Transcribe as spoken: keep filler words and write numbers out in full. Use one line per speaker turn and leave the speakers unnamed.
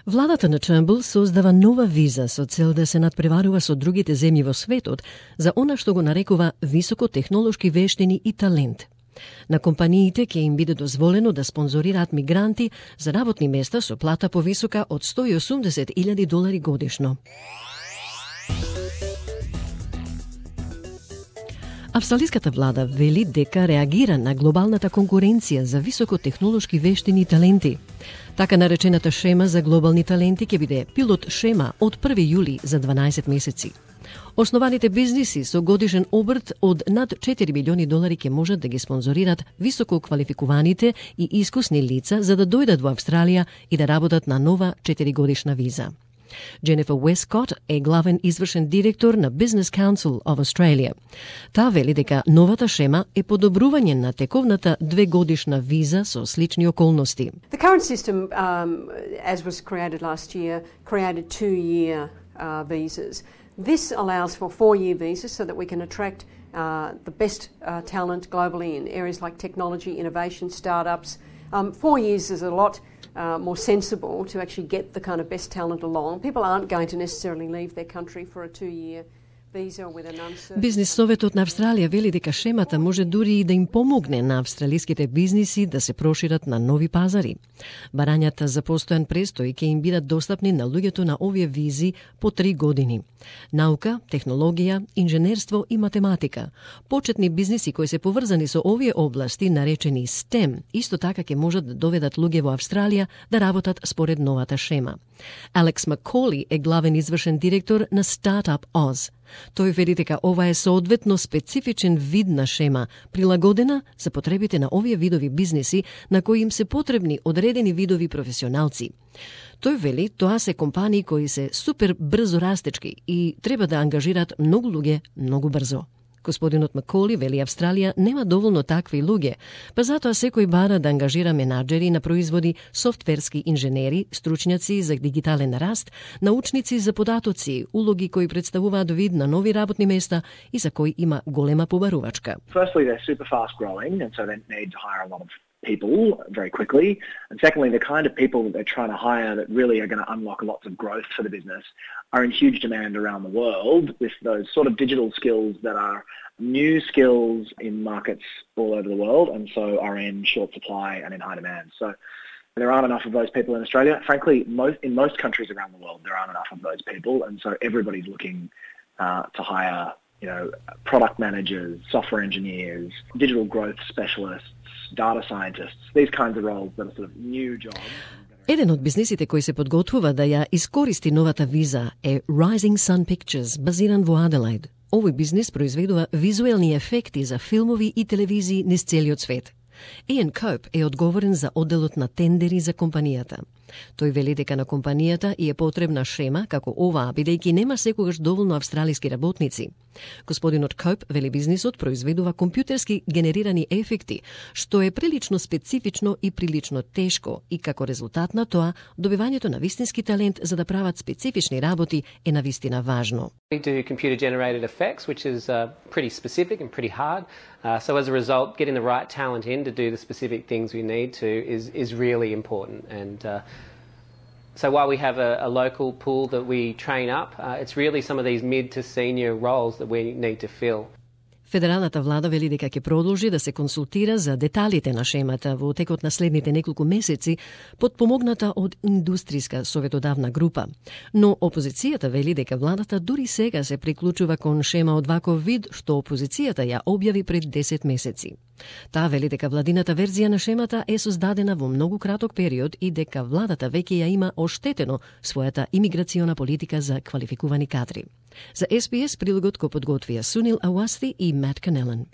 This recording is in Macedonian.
Владата на Turnbull создава нова виза со цел да се надпреварува со другите земји во светот за она што го нарекува високотехнолошки вештини и талент. На компаниите ќе им биде дозволено да спонзорираат мигранти за работни места со плата повисока од сто и осумдесет илјади долари годишно. Австралиската влада вели дека реагира на глобалната конкуренција за високотехнолошки вештини и таленти. Така наречената шема за глобални таленти ќе биде пилот шема од први јули за дванаесет месеци. Основаните бизниси со годишен обрт од над четири милиони долари ќе можат да ги спонзорират високо квалификуваните и искусни лица за да дојдат во Австралија и да работат на нова четиригодишна виза. Jennifer Westcott е главен извршен директор на Business Council of Australia. Таа вели дека новата шема е подобрување на тековната двегодишна виза со слични околности.
The current system, um, as was created last year, created two-year uh, visas. This allows for four-year visas so that we can attract uh, the best uh, talent globally in areas like technology, innovation, startups. Um, four years is a lot uh, more sensible to actually get the kind of best talent along. People aren't going to necessarily leave their country for a two-year visa with an uncertain...
Бизнис советот на Австралија вели дека шемата може дури и да им помогне на австралиските бизниси да се прошират на нови пазари. Барањата за постојан престој ќе им бидат достапни на луѓето на овие визи по три години. Наука, технологија, инженерство и математика. Почетни бизниси кои се поврзани со овие области, наречени STEM, исто така ќе можат да доведат луѓе во Австралија да работат според новата шема. Алекс Макколи е главен извршен директор на Startup Oz. Тој вели дека ова е соодветно специфичен вид на шема, прилагодена за потребите на овие видови бизниси на кои им се потребни одредени видови професионалци. Тој вели тоа се компании кои се супер брзо растечки и треба да ангажираат многу луѓе многу брзо. Господинот Макколи вели Австралија нема доволно такви луѓе, па затоа секој бара да ангажира менаџери на производи, софтверски инженери, стручњаци за дигитален раст, научници за податоци, улоги кои представуваат вид на нови работни места и за кои има голема побарувачка.
Firstly, they're super fast growing and so they need to hire a lot of people very quickly. And secondly, the kind of people that they're trying to hire that really are going to unlock lots of growth for the business are in huge demand around the world with those sort of digital skills that are new skills in markets all over the world and so are in short supply and in high demand. So there aren't enough of those people in Australia. Frankly, most in most countries around the world, there aren't enough of those people and so everybody's looking uh, to hire, you know, product managers, software engineers, digital growth specialists, data scientists, these kinds of roles that are sort of new jobs.
Еден од бизнисите кои се подготвува да ја искористи новата виза е Rising Sun Pictures, базиран во Аделаид. Овој бизнис произведува визуелни ефекти за филмови и телевизии низ целиот свет. Иан Коуп е одговорен за одделот на тендери за компанијата. Тој вели дека на компанијата и е потребна шема како оваа, бидејќи нема секогаш доволно австралиски работници. Господинот Коуп вели бизнисот произведува компјутерски генерирани ефекти, што е прилично специфично и прилично тешко и како резултат на тоа, добивањето на вистински талент за да прават специфични работи е навистина важно.
We do computer generated effects, which is uh, pretty specific and pretty hard. Uh, so as a result, getting the right talent in to do the specific things we need to is is really important. And uh, so while we have a, a local pool that we train up, uh, it's really some of these mid to senior roles that we need to fill.
Федералната влада вели дека ќе продолжи да се консултира за деталите на шемата во текот на следните неколку месеци, подпомогната од индустријска советодавна група. Но опозицијата вели дека владата дури сега се приклучува кон шема од ваков вид, што опозицијата ја објави пред десет месеци. Таа вели дека владината верзија на шемата е создадена во многу краток период и дека владата веќе ја има оштетено својата имиграциона политика за квалификувани кадри. За Ес Би Ес прилогот го подготвија Сунил Ауасти и Мат Канелан.